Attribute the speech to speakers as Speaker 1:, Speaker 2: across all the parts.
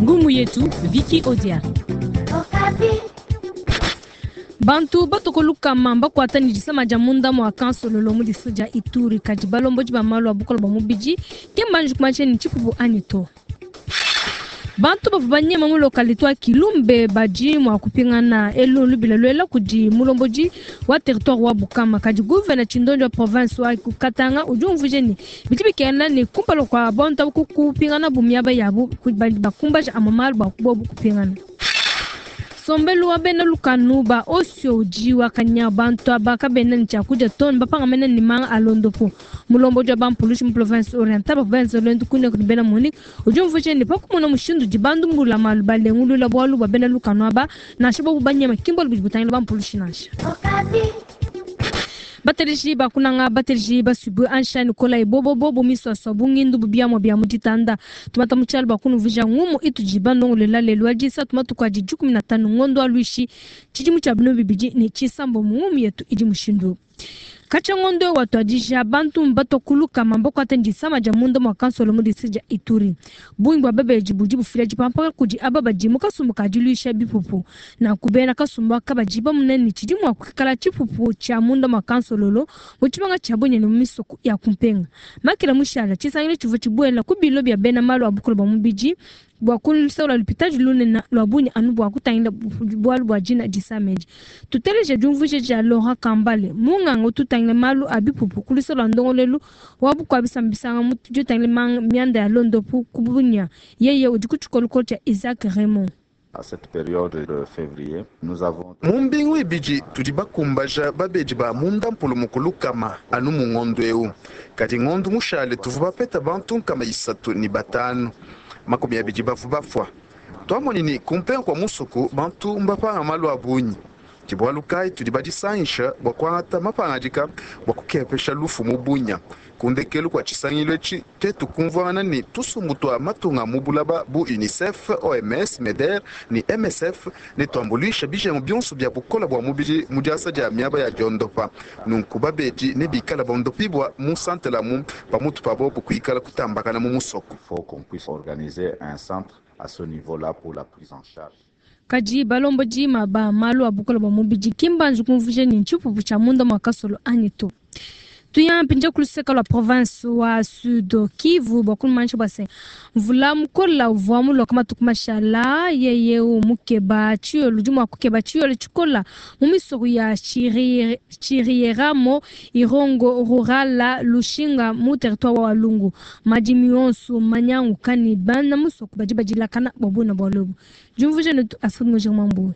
Speaker 1: Ngumu yetu Vicky Odia.
Speaker 2: Bantu batoko lukama mbakuata ne disama dia munda mua kansololo mu district dia Ituri, kadi balombodi ba malu a bukole bua mubidi ke mbanji kumanyisha ne tshipupu anyi to. Bantu bavua banyema mu localité wa Kilumbe badi mua kupingana elu lubila luela kudi mulombodi wa territoire wa Bukama, kadi gouverneur Tshindondi wa province wa Katanga udi umvuija ne bidi bikengela ne kumpala kua bantu abu kupinganabu miaba yabu bakumbaja amue malu bua bobu kupingana. Nsombelu wa bena lukanu ba Osio udi wakanya bantu aba kabena ne tshiakudia to, ne bapangamena ne manga a luondopu. Mulombodi wa bampulushi mu province orientale bavua benza luendu kuine kudi bena Munich udi umvuija ne, pa kumona mushindu udi bandumbulula malu balengulula bualu bua bena lukanu aba, nansha bobu banyema ki mbualu budi butangila bampulushi nansha. Bateleji ba kunanga, bateleji basuibue ansha ne kolayi bobobo bu misuasua bu ngindu bu biamua bia mu ditanda. Tumata mu tshialu bua kunuvuija ngumu itudi bandongoluela lelu wa disatu matuku adi 15 ngondo wa luishi tshidimu tshia binunu bibidi ne tshisambombo. Ngumu yetu idi mushindu eu. Katshia ngondo eu watuadija, bantu mbatua ku lukama mbakuate ne disama dia munda mua kansolo mu district dia Ituri. Bungi bua babedi budi bufila dipampaka kudi aba badi mu kasumbu ka diluisha bipupu. Nanku bena kasumbu aka badi bamona ne, tshidi mua kuikala tshipupu tshia munda mua kansololo mu tshimenga tshia Bunia ne mu misoko ya ku mpenga. Makela mushala, tshisangilu tshivua tshibuela ku bilo bia bena malu a bukole bua mubidi bua ku luseke lua lupitadi lunene lua Bunia anu bua kutangila bualu bua dina disama edi. Tuteleje diumvuija dia Laurent Kambale, munganga utu utangila malu a bipupu ku luseke lua ndongoluelu wa bukua bisamba bisanga mu ditangila mianda ya luondopu ku Bunia. Yeye udi ku tshikolokolo tshia Isaac Raymond.
Speaker 3: Mu mbingu ibidi tudi bakumbaja babedi ba munda mpulumuku lukama anu mu ngondo eu. Kadi ngondo mushale tuvua bapeta bantu 305, 20 bavua bafua. Tuamonyi ne kumpenga kua musoko bantu mbapanga malu a bungi. Ke bualu kayi tudi badisangisha bua kuangata mapangadika bua kukepesha lufu mu Bunia. Ku ndekelu kua tshisangilu etshi, tuetu kumvuangana ne tusumbu tua matunga mu bulaba bu UNICEF, OMS, MEDER ne MSF ne tuambuluisha bijengu bionso bia bukola bua mubidi mu diasa dia miaba ya diondopa. Nunku babedi nebikale bondopibua mu santele amu pamutu pa bobu kuikala kutambakana mu musoko.
Speaker 2: Kadi balombodi ba malu a bukole bua mubidi ki mbanji kumvuija ne ntshipupu tshia munda mua kasolo anyi to. Tuya mpindieu ku luseke lua province wa Sud Kivu bua kumanyisha bua se mvula mukola uvua muloka matuku mashala yeye mukeba tshiyolo udi mua kukeba tshiyolo tshikola mu misoko ya Chirieramo, Irongo, Rurala, Lushinga mu territoire wa Walungu. Madimi yonso manyanguka ne bana musoko badi badilakana bua buena bua lobo. Diumvuija netu Astrid Mujinga Mambuwe.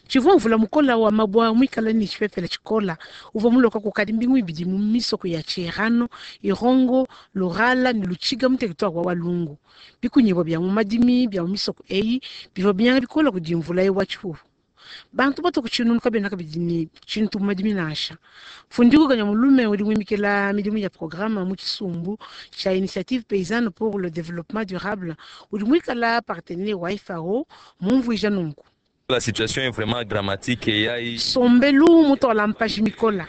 Speaker 4: Tshivua mvula mukola wa mabua muikale ne tshipepele tshikola uvua muloka kukadi mbingu ibidi mu misoko ya Chirano, Irongo, Lurala ne Lutshiga mu territoire wa Walungu. Bikunyibua bia mu madimi bia mu misoko eyi bivua binyanga bikola kudi mvula ewu wa tshipupu. Bantu batua ku tshinunu kabena kabidi ne tshintu mu madimi nansha. Fundiku Kanya Mulume udi muimikila midimu ya programe mu tshisumbu tshia Initiative Paysanne pour le Développement Durable udi muikala partenaire wa FAO mumvuija nunku.
Speaker 5: La situation est vraiment dramatique et ya
Speaker 4: Nsombelu mutuala mpaji mikola.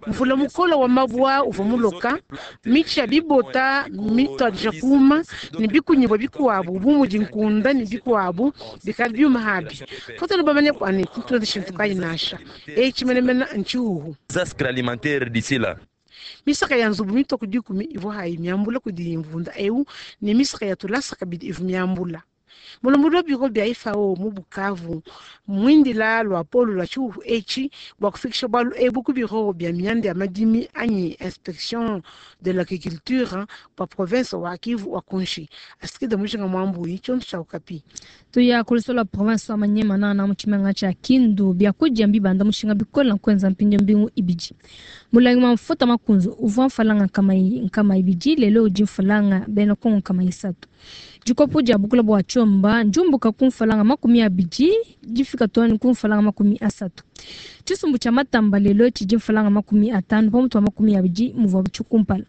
Speaker 4: Mvula mukola wa mabua uvua muloka, mitshi ya bibota mituadija kuuma ne bikunyibua bikuabu bu mudi nkunda ne bikuabu bikala biuma abi. Katuena bamanye bua ne tuenze tshintu kayi nansha. Etshi menemene ntshihuhu.
Speaker 5: Désastre alimentaire d'ici là.
Speaker 4: Misaka ya nzubu mitua ku dikumi ivua hayi miambula kudi mvunda eu ne misaka ya tulasa kabidi ivua miambula. Mulombodi wa biro bia FAO mu Bukavu muindila luapolo lua tshihuhu etshi bua kufikisha bualu ebu ku biro bia mianda ya madimi anyi inspection de l'agriculture bua province wa Kivu wa kunshi. Asikide Mujinga Mwambui, tshionso tshia Okapi.
Speaker 2: Tuya ku luseke lua province wa Maniema nana mu tshimenga tshia Kindu biakudia mbibanda mushinga bikole na kuenza mpindieu mbingu ibidi. Mulangi wa mfuta makunzu uvua mfalanga nkama ibidi lelo udi mfalanga bena Kongo nkama isatu. Dikopo dia bukula bua tshiomba ndiumbuka ku mfalanga 20 difika too ne ku mfalanga 30. Tshisumbu tshia matamba lelo tshidi mfalanga 50 pamutu wa 20 muvua tshikumpala.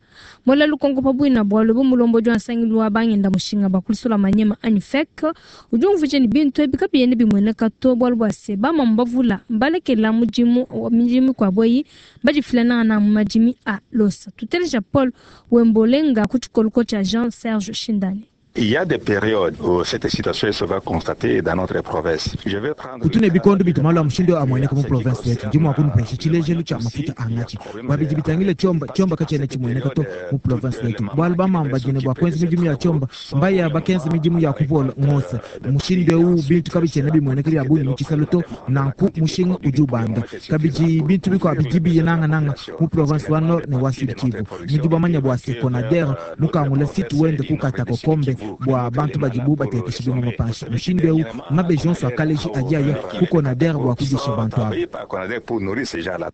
Speaker 2: Mola lukonko pa buina bualu bu mulombodi wa nsangilu wa bangenda mushinga ba kulusula Maniema anyi FEC udi umvuija ne bintu ebi kabiena bimueneka to bualu bua se bamamu bavula mbalekela mudimu midimu mikuabu eyi badifila nangana mu madimi a losa. Tuteleja Paul Wembolenga ku tshikoloko tshia Jean Serge Shindani.
Speaker 6: Il y a des périodes où cette situation se va constater dans notre province. Je vais prendre
Speaker 7: Kutu ne bikondo bitu malu a mushindu eu amueneka mu province wetu. Ndi mua kunupesha tshilejelu tshia mafuta a ngatshi bua bidi bitangila tshiomba. Tshiomba katshiena tshimueneka to mu province wetu, bualu bamama badi ne bua kuenza midimu ya tshiomba mbaya bakenza midimu ya kupola ngosa. Mushindu eu bintu kabitshiena bimueneka bia bungi mu tshisalu to, nanku mushinga udi ubanda. Kabidi bintu bikuabu bidi biya nangananga mu province wa Nord ne wa Sud Kivu. Nudi bamanya bua se Konader mukangula site wende ku Katakokombe bua bantu badibu batekesha bimuma panshi. Mushindu eu mabeji onso a kaleji adi aya ku Konader bua kudisha bantu aba.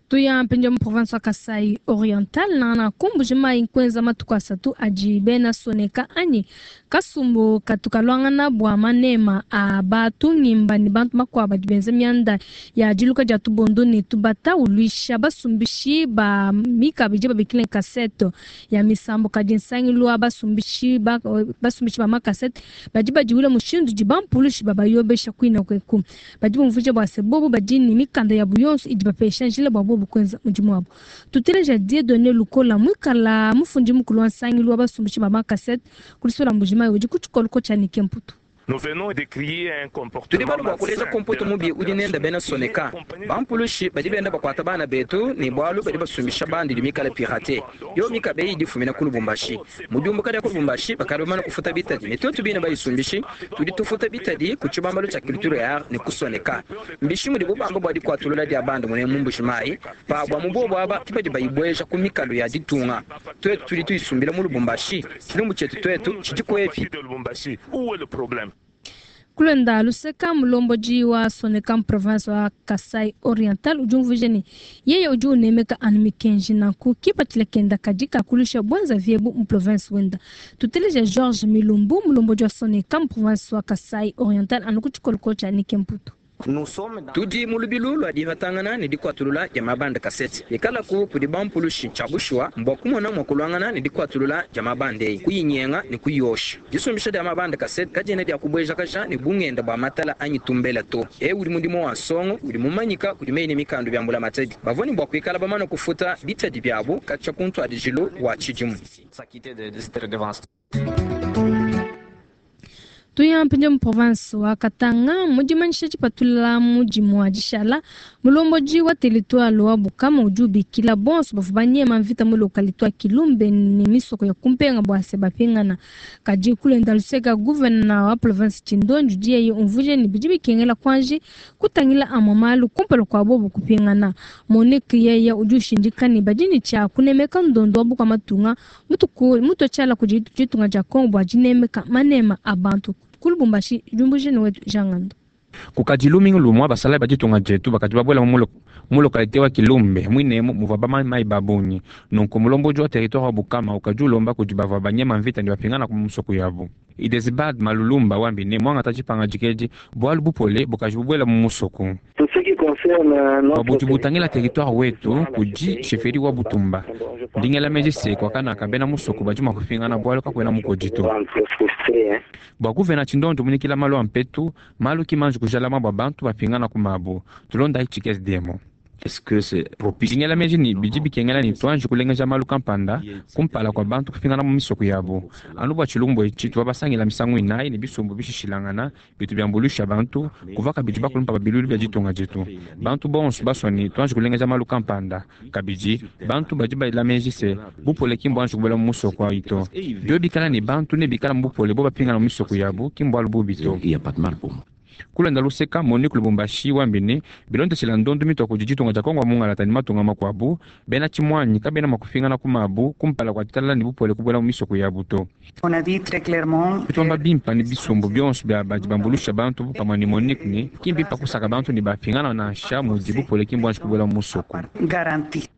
Speaker 2: Tuya mpindieu mu province wa Kasai Oriental nangana ku Mbuji-Mayi nkuenza matuku asatu adi bena Soneka anyi kasumbu katu kaluangana bua manema a batu ngimba ne bantu bakuabu badi benza mianda ya diluka dia tubondo ne tubata uluisha basumbishi ba mikaba idi babikila kasete ya misambu. Kadi nsangilu wa basumbishi ba, basumbishi ba makasete badi badiwula mushindu udi bampulushi babayobesha kuina kueku. Badi bumvuija bua se bobu badi ne mikanda yabu yonso idi bapesha njila bua bobu kuenza mudimu wabu. Tuteleja Dieudonné Lukola muikala mufundi mukulu wa nsangilu wa basumbishi ba makasete kulisola Mbuji-Mayi udi ku tshikoloko tshia Nike Mputu.
Speaker 8: Tudi balu bua kuleja kompoto mubi udi nenda bena Soneka. Bampulushi badi benda bakuata bana betu ne bualu badi basumbisha bandi idi mikale pirate. Yo mikabe idi ifumina ku Lubumbashi. Mu diumbuka dia ku Lubumbashi bakadi bamane kufuta bitadi ne tuetu bine bayisumbishi tudi tufuta bitadi ku tshibambalu tshia culture ya art ne ku Soneka. Mbishi mudibu bamba bua dikuatulula dia bandi mune mu Mbuji-Mayi pa bua mu bobu aba ki badi bayibueja ku mikalu ya ditunga. Tuetu tudi tuyisumbila mu Lubumbashi. Tshilumbu tshietu tuetu tshidi kuepi?
Speaker 2: Kulenda luseka mulombodi wa Soneka mu province wa Kasai Oriental udi umvuija ne yeye udi unemeka anu mikenji nanku kipatshila kenda kadi kakulusha bwenzavi ebu mu province wenda. Tuteleja Georges Milumbu mulombodi wa Soneka mu province wa Kasai Oriental anu ku tshikoloko tshia Nike Mputu.
Speaker 8: Tudi mu lubilu lua dipatangana ne dikuatulula dia mabanda kasete ikalaku kudi bampulushi tshia bushuwa mbua kumona mua kuluangana ne dikuatulula dia mabanda eyi kuyinyenga ne kuyosha. Disumbisha dia mabanda kasete kadiena dia kubuejakaja ne bungenda bua matala anyi tumbela to. Ewu udi mudimu wa nsongo udi mumanyika kudi meyi ne mikandu bia mbulamatadi bavua ne bua kuikala bamane kufuta bitadi biabu katshia ku ntuadijilu wa tshidimu.
Speaker 2: Tuya mpindieu mu province wa Katanga mu dimanyisha dipatula mudimu wa dishala mulombodi wa territoire wa Bukama udi ubikila bonso bavua banyema mvita mu localité wa Kilumbe ne misoko ya kumpenga bua se bapingana. Kadi kulenda luseka gouverneur wa province Tshindonji udi yeye umvuija ne bidi bikengela kuanji kutangila amue malu kumpala kua bobu kupingana. Monique yeye udi ushindika ne badi ne tshia kunemeka ndondo wa bukua matunga mutu tshiala kudi ditunga dia Congo bua dinemeka manema a bantu. Ku Lubumbashi, diumbuije ne wetu Jean Ngando.
Speaker 9: Kukadi lumingu lumua basalayi ba ditunga dietu bakadi babuela mu localité wa Kilumbe muinemu muvua bamamayi ba bungi. Nunku mulombodi wa territoire wa Bukama ukadi ulomba kudi bavua banyema mvita ne bapingana ku musoko yabu. Idesbald Malulumba wambi ne muangata tshipangadika edi bualu bupole bukaji bubuela mu musoko. Bua budi butangila territoire wetu kudi chefferie wa Butumba. Ndingela meji se kuakanaka bena musoko badi mua kupingana bualu kakuena mukodi to. Bua kuvena tshindondu munyikila malu a mpetu, malu ki manji kujalama bua bantu bapingana ku mabu. Tulondayi tshikese demo. Ndingela meji ne bidi bikengela ne tuanji kulengeja malu kampanda kumpala kua bantu kupingana mu misoko yabu. Anu bua tshilumbu etshi tuvua basangila misangu inayi ne bisumbu bishishilangana bitu biambuluisha bantu kuvua kabidi bakulumpa ba bilulu bia ditunga dietu. Bantu bonso basua ne tuanji kulengeja malu kampanda. Kabidi bantu badi baela meji se bupole ki mbuanji kubuela mu musoko ayi to. Bio bikala ne bantu ne bikala mu bupole bo bapingana mu misoko yabu ki mbualu bubi to. Kulenda luseka Monique Lubumbashi wambi ne bilondeshela ndondu mitua kudi ditunga dia Kongo wa mungalata ne matunga makuabu bena tshimuanyi kabena mua kupingana ku mabu kumpala kua ditalala ne bupole kubuela mu misoko yabu to. Tuamba bimpa ne bisumbu bionso bia badi bambulusha bantu pamue ne Monique ne ki mbimpa kusaka bantu ne bapingana nansha mudi bupole ki mbuanji kubuela mu musoko.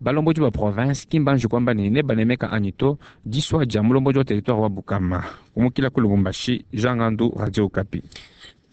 Speaker 9: Balombodi ba province ki mbanji kuamba ne nebanemeka anyi to disua dia mulombodi wa territoire wa Bukama. Kumukila ku Lubumbashi, Jean Ngandu, Radio Okapi.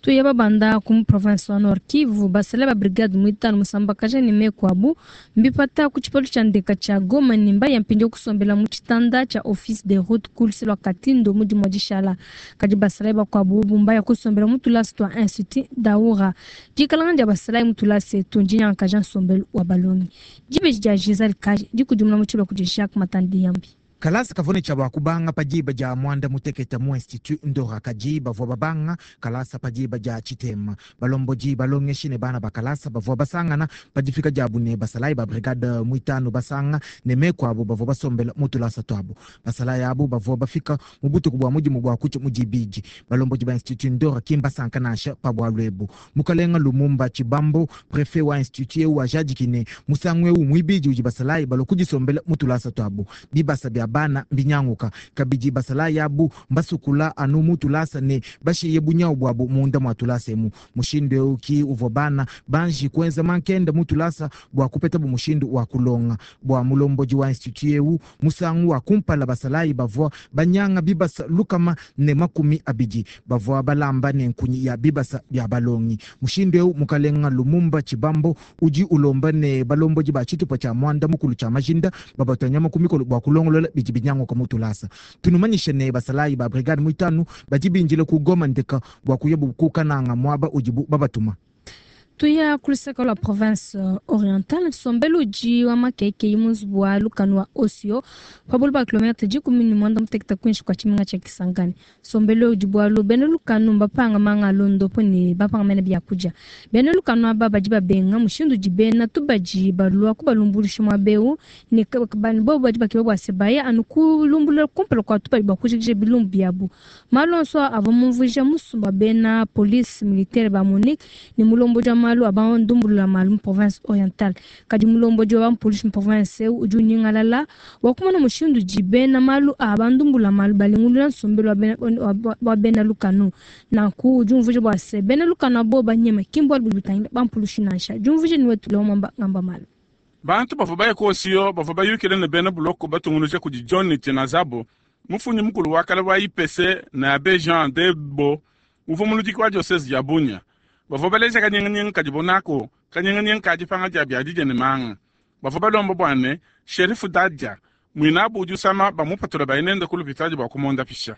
Speaker 2: Tuya babanda ku province wa Nord Kivu basala ba brigade muitanu musambakaja ne mekuabu mbipata ku tshipalo tshia ndeka tshia Goma ne mbaya mpindieu kusombela mu tshitanda tshia office de route kuluse lua Katindo mu dimue dishala. Kadi basalayi bakuabu bobu mbaya kusombela mu tulasa tua Institut Daura. Dikalanga dia basalayi mu tulasa etu ndinyankaja nsombelu wa balongi. Dibeji dia Giselle Kaji dikudimuna mu tshilua kudi Jacques Matandi Yambi.
Speaker 7: Kalasa kavua ne tshia bua kubanga pa diba dia mwanda mutekete mu Institut Ndora, kadi bavua babanga kalasa pa diba dia tshitema. Balombodi, balongeshi ne bana ba kalasa bavua basangana pa difika diabu ne basalayi ba brigade muitanu basanga ne meku abu bavua basombela mu tulasa tuabu. Basalayi abu bavua bafika mu butuku bua mudimu bua kutshia mu dibidi. Balombodi ba Institut Ndora ki mbasanka nansha pa bualu ebu. Mukalenga Lumumba Tshibambo, prefet wa institut eu wajadiki ne musangu eu muibidi udi basalayi balua kudisombela mu tulasa tuabu. Bibasa bia bana mbinyanguka kabidi, basalayi abu mbasukula anu mu tulasa ne bashiye bunyawu buabu munda mua tulasa emu. Mushindu eu ki uvua bana banji kuenza mankenda mu tulasa bua kupetabu mushindu wa kulonga. Bua mulombodi wa institut eu, musangu wa kumpala basalayi bavua banyanga bibasa 120, bavua balamba ne nkunyi ya bibasa bia balongi. Mushindu eu mukalenga Lumumba Tshibambo udi ulomba ne balombodi ba tshitupa tshia mwanda mukulu tshia majinda babatua nyama ku mikolo bua kulongolola bidi binyanguka mu tulasa. Tunumanyishe ne basalayi ba brigade muitanu badi bindile ku Goma ndeka bua kuya kukananga muaba udibu babatuma.
Speaker 2: Tuya ku luseke lua province orientale, nsombelu udi wa makeke mu nzubu wa lukanu wa Osio pa bule bua kilometre 16 kuinshi kua tshimenga tshia Kisangani. Nsombelu udi bualu bena lukanu mbapanga manga a londopo ne bapanga mene biakudia. Bena lukanu aba badi babenga mushindu udi bena tubadi balua kubalumbuluisha muaba eu ne bobu badi bakeba bua se baya anu kulumbulula kumpala kua tubadi bua kujikija bilumbu biabu. Malu onso avua mumvuija musumba bena police militaire ba Monique ne mulombodi wa malu a bandumbulula malu mu province orientale. Kadi mulombodi wa polisi mu province eu udi unyingalala wa kumona mushindu udi bena malu a bandumbulula malu balengulula nsombelu wa bena lukanu. Nanku udi umvuija bua se bena lukanu abo banyema ki mbualu budi butangila bampulushi nansha. Diumvuija ni wetu leo mwamba ngamba malu.
Speaker 10: Bantu bavua baya kuosiyo bavua bayukile ne bena buloko batungunuja kudi John Tenazabo, mufunyi mukulu wa kale wa IPC na Abbé Jean Debo uvua muludiki wa diocese ya Bunia. Bavua baleja kanyinganyinga kadi bonako kanyinganyinga kadi panga dia biadija ne manga. Bavua balomba bua ne sherifu Dadia mwinabu udi usama bamupatula bainende ku lupitadi bua kumonda pisha.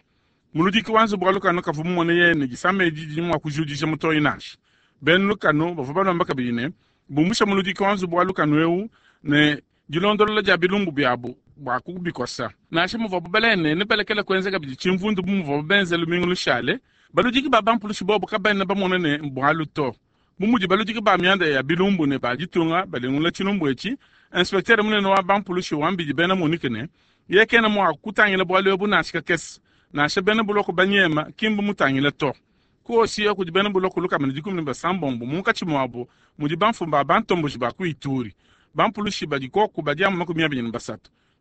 Speaker 10: Muludiki wa nzubu wa lukanu kavua mumone yene disama edi didi mua kujudija mutoyi nansha. Bena lukanu bavua balomba kabidi ne bumbusha muludiki wa nzubu wa lukanu eu ne dilondolola dia bilumbu biabu bua kubikosa. Nansha muvuabu balene ne balekela kuenza kabidi tshimvundu bu muvuabu benze lumingu lushale, baludiki ba bampulushi bobu kabena bamona ne bualu to. Bu mudi baludiki ba mianda ya bilumbu ne ba ditunga balengulula tshilumbu etshi, inspecteur munene wa bampulushi wa mbidi bena Monique ne ye kena mua kutangila bualu ebu nansha kakese. Nansha bena buloko banyema ki mbumutangila to. Kuosiya kudi bena buloko 116 munkatshi muabu mudi bamfumu ba bantomboji ba ku Ituri. Bampulushi badi koku badi amu 23.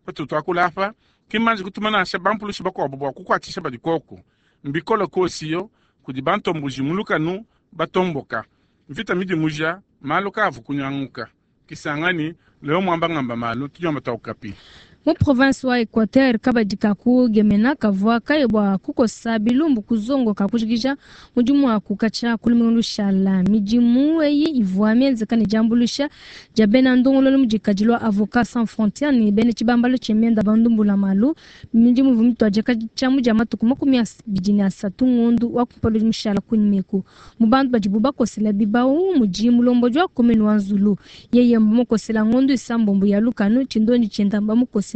Speaker 10: Patu tuakula apa ki mbanji kutuma nansha bampulushi bakuabu bua kukuatshisha badi koku. Mbikole kuosiyo kudi bantomboji mu lukanu batomboka. Mvita midimuja malu kavu kunyanguka. Kisangani leo mwamba ngamba malu tunyamba taukapi.
Speaker 2: Mu province wa Equateur kabadi kakugemena kavua kaye bua kukosa bilumbu kuzongo kakujikija mudimu wa kukatsha kulumingu lushala. Midimu eyi ivua mienzeka ne diambuluisha dia bena ndongololo mu dikadi lua Avocats Sans Frontières ne bena tshibambalo tshia mienda bandumbula malu. Midimu ivua mituadija katshia mu dia matuku 23 ngondu wa kumpala udi mushala kunyima. Mu bantu badibu bakosela bibawu mudi mulombodi wa commune wa Nzulu. Yeye mbamukosela ngondu isambombo ya lukanu tshindondi tshienda mbamukosela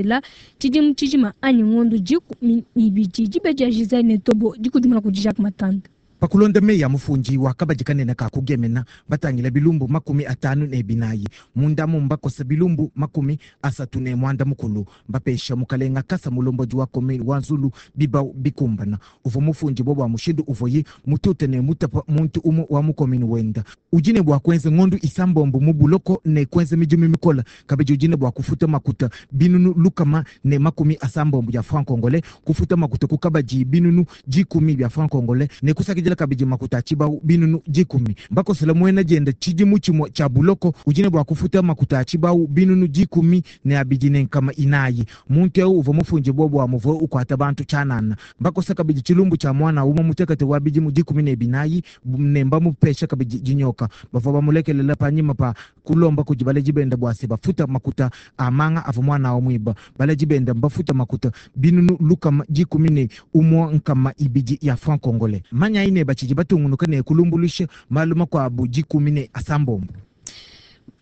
Speaker 2: tshidimu tshijima anyi ngondu 12 dibe dia Gisele ne Tobo dikudimuna kudi Jacques Matanda.
Speaker 7: Pakulonda meyi ya mufundi wa kabadi kanene ka kugemena batangila bilumbu 54 munda mbakosa bilumbu 39 mbapesha mukalenga kasa mulombodi wa commune wa Nzulu bibau bikumbana. Uvua mufundi bo bua mushindu uvuye mutute ne mutapa muntu umwe wa mukomini wenda. Udi ne bua kuenza ngondu isambombo mu buloko ne kuenza midimu mikola kabidi udi ne bua kufuta makuta binunu 180 bya franc congolais, kufuta makuta ku kabadi binunu 10 bya franc congolais ne kusakidila kabidi makuta tshibau binunu 10. Mbakosela mwena dienda tshidimu tshimue tshia buloko udi ne bua kufuta makuta tshibau binunu 10 ne abidi ne nkama inayi. Muntu eu uvua mufundi bo bua muvua ukuata bantu tshianana. Mbakosa kabidi tshilumbu tshia mwana umue mutekete wa bidimu 14 ne mbamupesha kabidi dinyoka. Bavua bamulekelela panyima pa kulomba kudi baledi benda bua se bafuta makuta a manga avua mwana wa mwiba. Baledi benda mbafuta makuta binunu 112 ya franc congolais. Manya ine bachidi batungunuka ne kulumbulusha malu makuabu 17.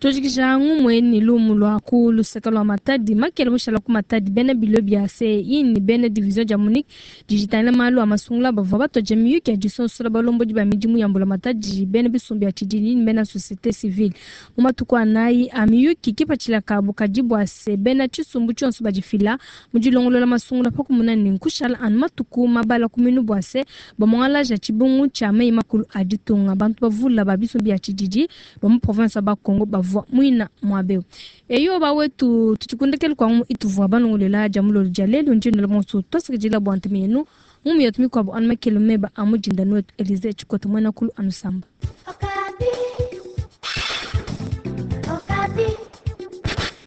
Speaker 2: Tojikija ngumwe ni lumu lwa ku luseka lwa Matadi makele mushala ku Matadi bena bilo bia CI ni bena division ja Munich dijitana malu a masungula bavua batoja miyuki ya disonsola balombodi ba midimu ya mbula Matadi bena bisumbu ya tshididi ni bena société civile mu matuku anayi a miyuki kipatshila kabu kadi bua se bena tshisumbu tshionso badifila mu dilongolola masungula pa kumuna ne nkushala anu matuku mabala ku minu bua se bamuangalaja tshibungu tshia meyi makulu a ditunga. Bantu bavula ba bisumbu bia tshididi ba mu province ya Bakongo bavua mwina mwabeo. Eyo bawetu tuchikundekele kwa ituvua banongolela ja mulolo ja lelu njindu monso tosikijila bwa ntumenu mumu yetu mikwabo anu makelo meba amujinda nwetu Elize Chikota mwena kulu anusamba.
Speaker 11: Okay.